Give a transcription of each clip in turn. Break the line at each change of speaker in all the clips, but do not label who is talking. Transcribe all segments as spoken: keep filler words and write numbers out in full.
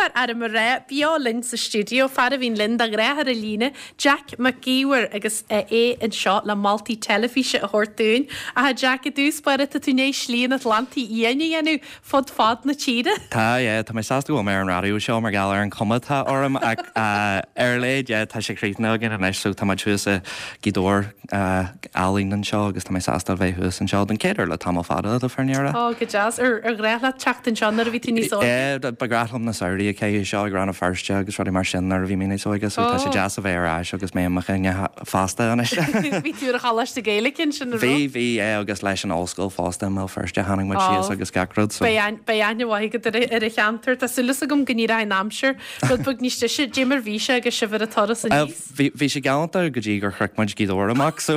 Lúcháir orm a rá, beo linn sa stiúideo, fear a bhíonn linn de ghnáth ar an líne, Jack Mac Íomhair agus é anseo le moltaí teilifíse a thabhairt dúinn. A Jack, i dtús báire tá tú i ndiaidh slí an Atlantaigh Fhiáin a dhéanamh fud fad na tíre.
Tá yeah, tá mé sásta go bhfuil mé ar an raidió seo mar gheall ar an chuma atá orm ach uh, ar a laghad yeah, tá sé críochnaithe againn anois so tá muid thuas i Gaoth Dobhair uh, álainn anseo agus tá mé sásta bheith thuas anseo den chéad uair le tamall fada le fírinne.
Ó go deas ar ar ghnách leat teacht anseo nuair a bhí tú níos óige.
Yeah, ba ghnách liom na samhraí a chaitheamh seo ag Rann na Feirste agus rudaí mar sin nuair a bhí mé níos óige so tá sé
Oh.
deas a bheith ar ais agus mé i mo dhuine fásta anois.
Bhí tú ar Choláiste Gaeilge sin a
Bhí bhí é agus leis an ollscoil fosta i mBéal Feirste tháinig muid síos
Oh.
agus gach rud so.
Beidh aithne mhaith agat ar ar an cheantar Tá súil agam go n-éireoidh an aimsir rud beag níos deise cad é mar bhí sé agus sibh ar an turas
Uh,
aníos.
Bhí bhí sé galánta go dtí gur shroich muid Gaoth Dobhair amach so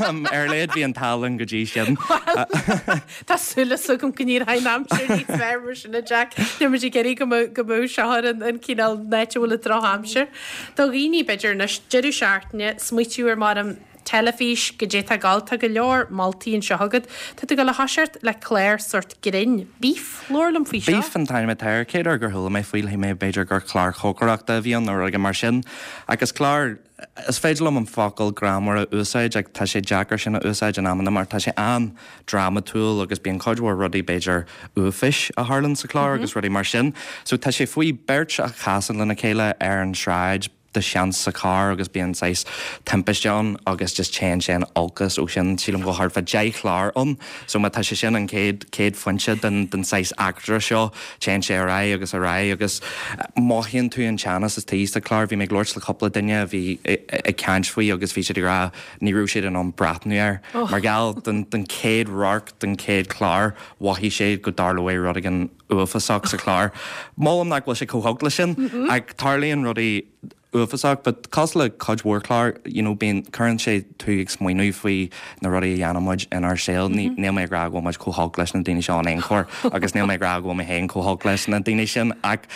um, ar a laghad bhí an t-ádh linn go dtí sin.
Tá súil agam go n-éireoidh an aimsir níos fearr mar sin a Jack Ní muid ag iarraidh go go mbeadh seo ar an an cineál áit a bhfuil an drochaimsir. Do dhaoine b'fhéidir anois deireadh seachtaine smaoitiú ar mar an teilifís go dté gáil tá go leor moltaí anseo agat, Tá tú ag gabháil a thoiseacht le clár sort grinn, Beef labhair liom faoi seo.
Beef an t-ainm atá air céad gur chuala mé faoi mé b'fhéidir gur clár cócaireachta a bhí ann nó rud mar sin agus clár is féidir liom an focal greannmhar a úsáid ach tá sé deacair sin a úsáid in amanna mar tá sé an-drámatúil agus bíonn cuid mhór rudaí b'fhéidir uafáis a tharlaíonn sa chlár agus rudaí mar sin. So tá sé faoi beirt a chasann lena chéile ar an sráid de sheans sa car agus bíonn saghas timpiste ann agus just téann sé in olcas ó sin sílim go thart fá deich chlár ann, so má tá sé sin an céad céad phointe den den saghas eachtra seo téann sé ar aghaidh agus ar aghaidh agus mothaíonn tú an teannas is tí sa chlár bhí mé ag labhairt le cúpla duine a bhí ag caint faoi agus bhí siad ag rá ní raibh siad in ann breathnú air mar gheall den den chéad radharc den chéad chlár mhothaigh sé go dtarlóidh rud éigin uafásach sa chlár. Molaim nach bhfuil sé chomh holc le sin ach tarlaíonn rudaí uafásach, but cosúil le cuid mhór clár you know, bíonn cuireann sé tú ag smaoineamh faoi na rudaí a dhéanann muid inár saol ní níl mé ag rá go bhfuil muid chomh holc leis na daoine seo in aon chor agus níl mé ag rá go bhfuil mé féin chomh holc leis na daoine sin ach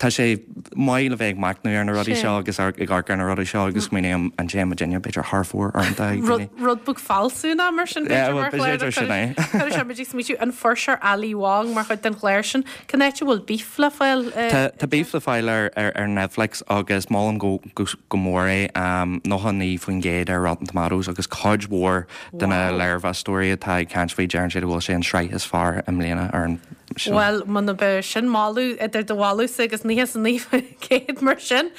tá sé maith le bheith ag machnamh ar na rudaí seo agus ag amharc ar na rudaí seo agus smaoineamh an té duine b'fhéidir thar fóir ar an
Rud beag fealsúnach mar sin
b'fhéidir sin é.
Chuir sé muid ag smaoitiú an fuirseoir Ali Wong mar chuid den chlár sin Cén áit a bhfuil Beef le fáil
Tá Beef le fáil ar ar Netflix agus molaim go go, go mór é um, nócha naoi faoin gcéad ar Rotten Tomatoes agus cuid mhór de na léirmheastóirí atá ag caint faoi deireann siad bhfuil sé an sraith is fearr i mbliana ar an
Well muna be sin moladh idir do mholadh agus nócha naoi céad mar sin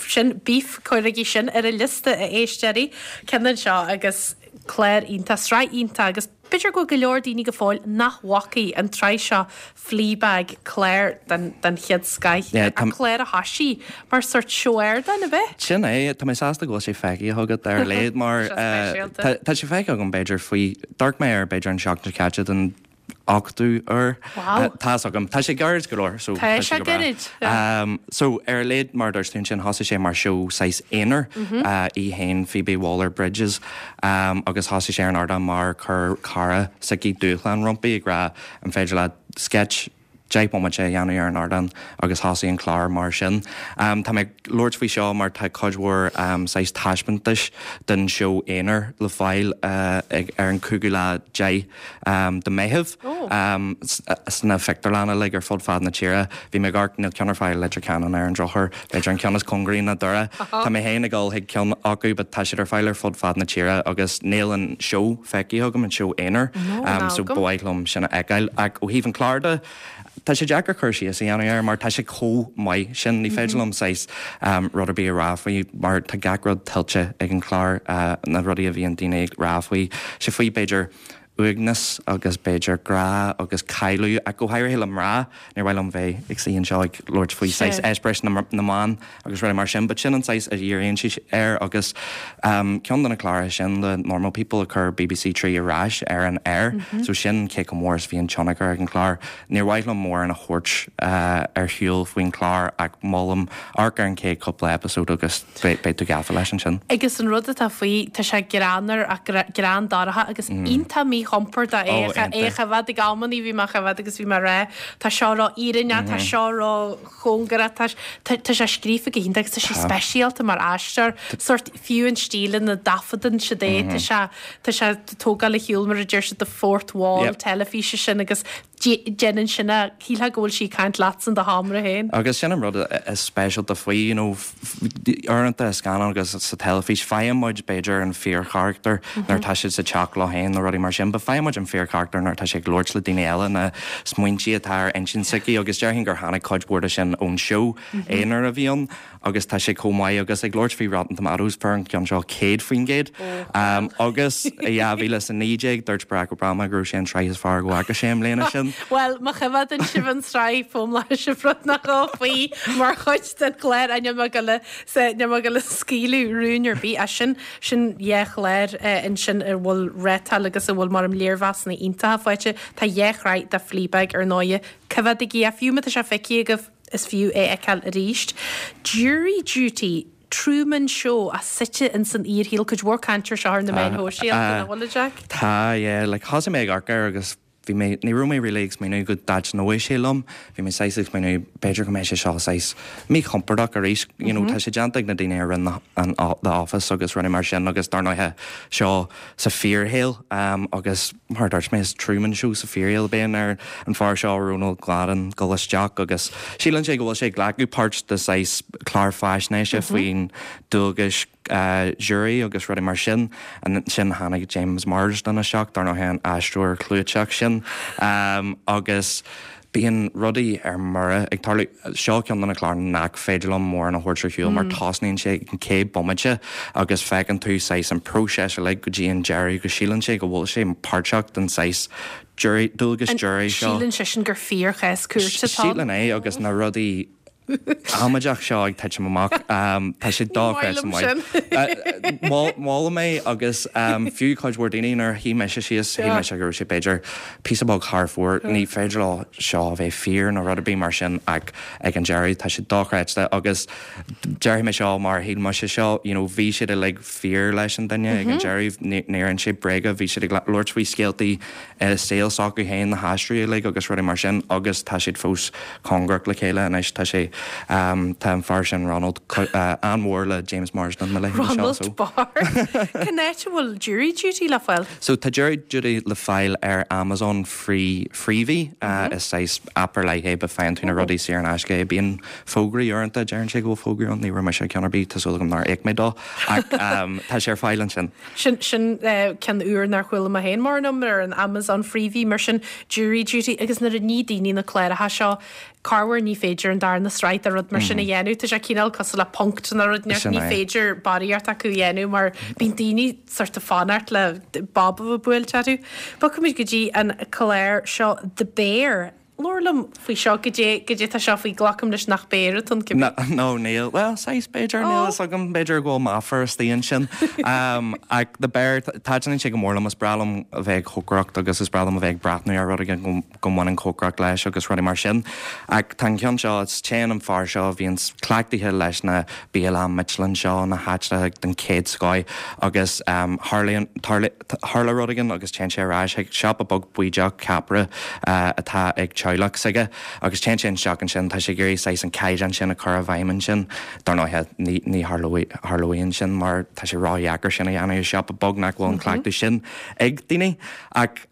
sin Beef cuirigí sin ar an liosta a éisteoirí cinn seo agus clár iontach sraith iontach agus b'fhéidir go go leor daoine go fóill nach bhfaca an tsraith seo Fleabag clár den, den chéad scoth
Yeah,
a clár a thosaigh mar sort seoéir na bheith.
Sin é tá mé sásta go bhfuil sé feicthe agat ar a laghad mar
speisialta.
tá sé feicthe agam b'fhéidir faoi d'amharc mé ar b'fhéidir an seachtain caite den ochtú uair
Wow.
Tá agam Tá sé gairid go leor so
Tá sé
go breá.
gairid, yeah.
Um, so ar a laghad mar dúirt tú sin thosaigh sé mar seó saghas aonair
Mhm.
uh, í héin Phoebe Waller-Bridge um, agus thosaigh sé ar an ardán mar chuir cara s'aici dúshlán roimpi ag rá an féidir le sketch deich mbomaite a dhéanamh ar an ardán agus thosaigh an clár mar sin. Um, tá mé labhairt faoi seo mar tá cuid mhór um, saghas taispeántais den seó aonair le fáil uh, ag, ar an cúigiú lá déag um, de Mheitheamh
Oh.
um, sna pictiúrlanna like ar fud fad na tíre. Bhí mé gar níl ceann ar fáil Leitir Ceanainn ar an drochuair, b'fhéidir an ceann is cóngaraí ná Doire. Tá mé féin ag dul chuig ceann acu, but tá siad ar fáil ar fud fad na tíre agus níl an seó feicthe agam an seó aonair
No,
um, so
ná agam.
ba mhaith liom sin a fheiceáil ach ó thaobh an clár de Tá sé deacair cur síos a dhéanamh air mar tá sé chomh maith sin ní féidir liom saghas um, rud ar bith a rá faoi mar tá gach rud tuillte ag an chlár uh, na rudaí a bhíonn daoine ag rá faoi sé faoi b'fhéidir uaigneas agus b'fhéidir grá agus cailleadh ach go háirithe le mná níor mhaith liom bheith ag suí anseo ag labhairt faoi
Sé.
saghas eispéireas na, na mban agus rudaí mar sin, but sin an saghas a dhíríonn sí air agus um, ceann de na cláracha sin le Normal People a chuir BBC Three ar ais ar an air, mm -hmm. so sin cé chomh mór is bhí an tionchar ag an chlár. Níor mhaith liom mórán a thabhairt uh, ar shiúl faoin chlár ach molaim amharc ar an chéad cúpla episode agus beidh tú gafa leis ansin.
Agus an rud atá faoi tá sé greannmhar a greann dorcha agus iontach míchompordach
Oh,
é
iontach.
choimhéad ag amannaí bhí mé choimhéad agus bhí mé rá Tá seo ró-fhírinneach tá seo ró-chóngarach tá tá sé scríofa go hiontach agus tá sé speisialta mar aisteoir sort fiú an stíl ina dtaifeadann siad é tá sé tá sé tógáil le hiúil mar a deir siad the fourth wall
Yep.
teilifíse sin agus Déanann sin a shílfeá go bhfuil sí ag caint leatsa in do sheomra féin.
Agus sin an rud is speisialta faoi, you know, uaireanta i scannán agus sa teilifís, faigheann muid b'fhéidir an fíorcharachtar nuair atá siad sa teach leo féin nó rudaí mar sin, but faigheann muid an fíorcharachtar nuair atá sé ag labhairt le daoine eile, na smaointe atá ar intinn s'aici agus déarfainn gur tháinig cuid mhór de sin ón seó aonair a bhí ann. Agus tá sé chomh maith agus ag labhairt faoi Rotten Tomatoes fuair an ceann seo céad faoin gcéad. Agus i dhá mhíle is a naoi déag dúirt Barack Obama go raibh sé an tsraith is fearr go bhfaca sé i mbliana sin.
Bhuel, má choimhéadann sibh an tsraith foghlaimeoidh sibh rud nó dhó faoi mar chuid den chlár níl mé ag goil níl mé ag goil a scaoileadh rúin ar bith as sin. Sin dhá chlár ansin a bhfuil rátáil agus a bhfuil mar léirmheasanna iontacha faighte. Tá dhá shraith de Fleabag ar ndóighe. Coimhéadaigí é, fiú má tá sé feicthe agaibh. Is fiú é a fheiceáil arís. Jury Duty, Truman Show, a suite ins an fhíorshaol, cuid mhór cainte air seo ar na meáin shóisialta, nach bhfuil, a Jack?
Tá, yeah. Like, thosaigh mé ag amharc air agus bhí mé, ní raibh mé really ag smaoineamh go dtaitneoidh sé liom. Bhí mé saghas ag smaoineamh b'fhéidir go mbeidh sé seo saghas míchompordach arís. You know, tá sé déanta ag na daoine a rinne an The Office agus rudaí mar sin agus dar ndóighe seo sa fíorshaol agus mar a dúirt mé, is Truman Show sa fíorshaol. Bíonn ar an fear seo, Ronald Gladden, dul isteach agus síleann sé go bhfuil sé ag glacadh páirt de saghas clár faisnéise faoin dualgais jury agus rudaí mar sin. Ansin tháinig James Marsden isteach, dar ndóigh an aisteoir clúiteach sin, agus bíonn rudaí ar mire ag tarlú. Seo ceann de na cláir nach féidir liom mórán a thabhairt ar shiúl mar tosnaíonn sé ag an chéad bomaite agus feiceann tú saghas an próiseas uilig go dtí an deireadh go síleann sé go bhfuil sé páirteach den saghas jury, dualgas jury seo.
Síleann seisean gur fíorchás cúirte atá ann.
Síleann é agus na rudaí amaideach seo ag titim amach. Tá sé dochreidte maith. Molaim é agus fiú cuid mhór daoine nuair a shuigh mise síos, shíl mise go raibh sé b'fhéidir píosa beag thar fóir, ní féidir leo seo a bheith fíor nó rud ar bith mar sin ach ag an deireadh tá sé dochreidte agus déarfaidh mé seo mar shíl mise seo, you know, bhí siad uilig fíor leis an duine ag an deireadh, níor inis siad bréaga, bhí siad ag labhairt faoi scéaltaí i saol s'acu féin, na haisteoirí uilig agus rudaí mar sin agus tá siad fós cóngarach le chéile anois. Tá sé, tá an fear sin, Ronald, an-mhór le James Marsden, mo leithéid seo.
Ronald Barr. Cén áit a bhfuil Jury Duty le fáil?
So tá Jury Duty le fáil ar Amazon Free, Freevee, is saghas aip ar leith é but faigheann tú na rudaí saor in aisce é. Bíonn fógraí uaireanta, deireann sé go bhfuil fógraí ann, ní raibh mise ag ceann ar bith, tá súil agam nár íoc mé dó, ach tá sé ar fáil ansin.
Sin, sin ceann úr nár chuala mé féin mórán ar an Amazon Freevee, mar sin Jury Duty agus nuair a ní daoine na cláracha seo, corruair ní féidir an darna sraith de rud mar sin a dhéanamh, tá sé cineál cosúil le Punk'd nó rud inteacht, ní féidir barraíocht acu a dhéanamh mar bíonn daoine sort of fanacht le bob a bheith buailte orthu. Bogfaimid go dtí an clár seo The Bear. Labhair liom faoi seo, goidé, goidé tá seo faoi, glacaim leis nach béar atá ann cibé.
No, níl, bhuel, saghas b'fhéidir, níl fhios agam, b'fhéidir go bhfuil meafar istigh ansin. Ach The Bear, taitníonn sé go mór liom, is breá liom a bheith ag cócaireacht agus is breá liom a bheith ag breathnú ar rud éigin go, go mbaineann cócaireacht leis agus rudaí mar sin. Ach tá an ceann seo, is téann an fear seo a bhíonn cleachtaithe leis na bialanna Michelin seo, na háiteanna den chéad scoth agus tharlaíonn, tharla rud éigin agus téann sé ar ais chuig siopa beag baoideach ceapaire atá ag teaghlach s'aige agus téann sé isteach ansin, tá sé ag iarraidh saghas an caighdeán sin a chur i bhfeidhm ansin. Dar ndóighe, ní, ní tharlóidh, tharlóidh sin mar tá sé ródheacair sin a dhéanamh i siopa beag nach bhfuil an cleachtadh sin ag daoine. Ach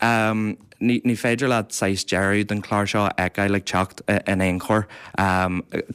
ní, ní féidir leat saghas deireadh den chlár seo a fheiceáil ag teacht in aon chor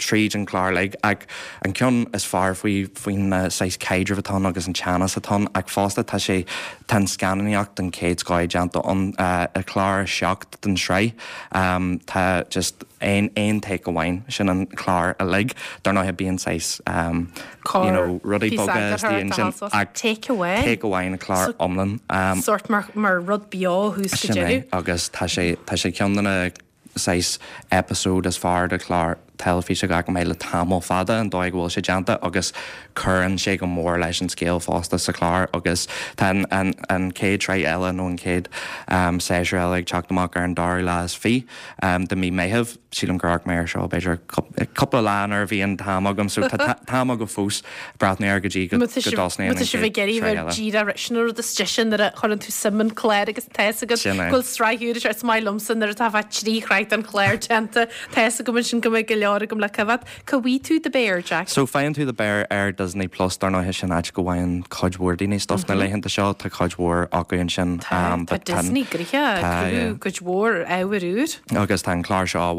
tríd an chlár uilig. Ach an ceann is fearr faoi, faoin saghas caidreamh atá ann agus an teannas atá ann ach fosta tá sé, tá an scannánaíocht den chéad scoth déanta ann i clár a seacht den tsraith. Tá just aon, aon take amháin, sin an clár uilig. Dar ndóighe bíonn saghas you know rudaí beaga istigh ansin ach
Take amháin?
Take amháin an clár iomlán.
Sórt mar, mar rud beo thuas go
Sin é
deireadh.
agus tá sé, tá sé ceann de na saghas episode is fearr de chlár teilifíse go bhfaca mé le tamall fada, an dóigh go bhfuil sé déanta agus cuireann sé go mór leis an scéal fosta sa chlár agus tá an, an, an chéad tsraith eile nó an chéad séasúr eile ag teacht amach ar an dara lá is fiche de mí Meitheamh. Sílim gur amharc mé air seo b'fhéidir cúpla lá nuair a bhí an t-am agam so tá t-am agam fós breathnú air go dtí go dtosnaíonn
an chéad sraith eile. Díreach sin an rud is deise nuair a chuireann tú suim in clár agus tá fhios agat go bhfuil sraith úr is maith liomsa nuair atá fá trí shraith den chlár déanta tá fhios agam ansin go mbeidh go leor leor agam le coimhéad. Cá bhfaighidh tú The Bear, Jack?
So faigheann tú The Bear ar Disney Plus dar ndóigh sin áit go bhfaigheann cuid mhór daoine stuff na laethanta seo tá cuid mhór acu ansin.
Tá Disney gnoitheach cuid mhór ábhar úr.
Agus tá an clár seo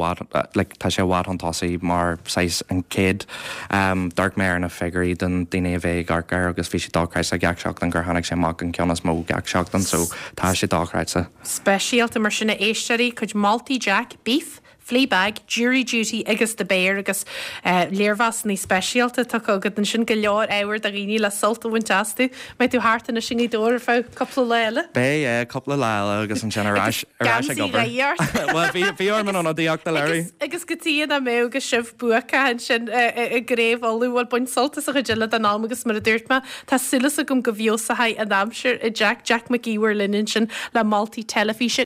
like, tá sé i bhfad chun tosaigh mar saghas an chéad um, d'amharc mé ar na figiúirí den daoine a bheith ag amharc air agus bhí sé dochreidte gach seachtain gur tháinig sé amach an ceann is mó gach seachtain so tá sé dochreidte.
Speisialta mar sin a éisteoirí cuid moltaí Jack, Beef, Fleabag, Jury Duty agus The Bear agus uh, léirmheasanna speisialta tá agat ansin go leor ábhar do dhaoine le sult a bhaint astu, Beidh tú thart anois i nGaoth Dobhair ar feadh cúpla lá eile?
Beidh é cúpla lá eile agus ansin ar ais ar ais ag obair. Well bhí bhí orm an ionadaíocht a léiriú.
Agus go dtí a mbeidh agus sibh buacach ansin i gCraobh Uladh bhuel bain sult as an chuid eile den am agus mar a dúirt mé tá súil agam go bhfeabhsóidh an aimsir a Jack Jack Mac Íomhair linn ansin le moltaí teilifíse.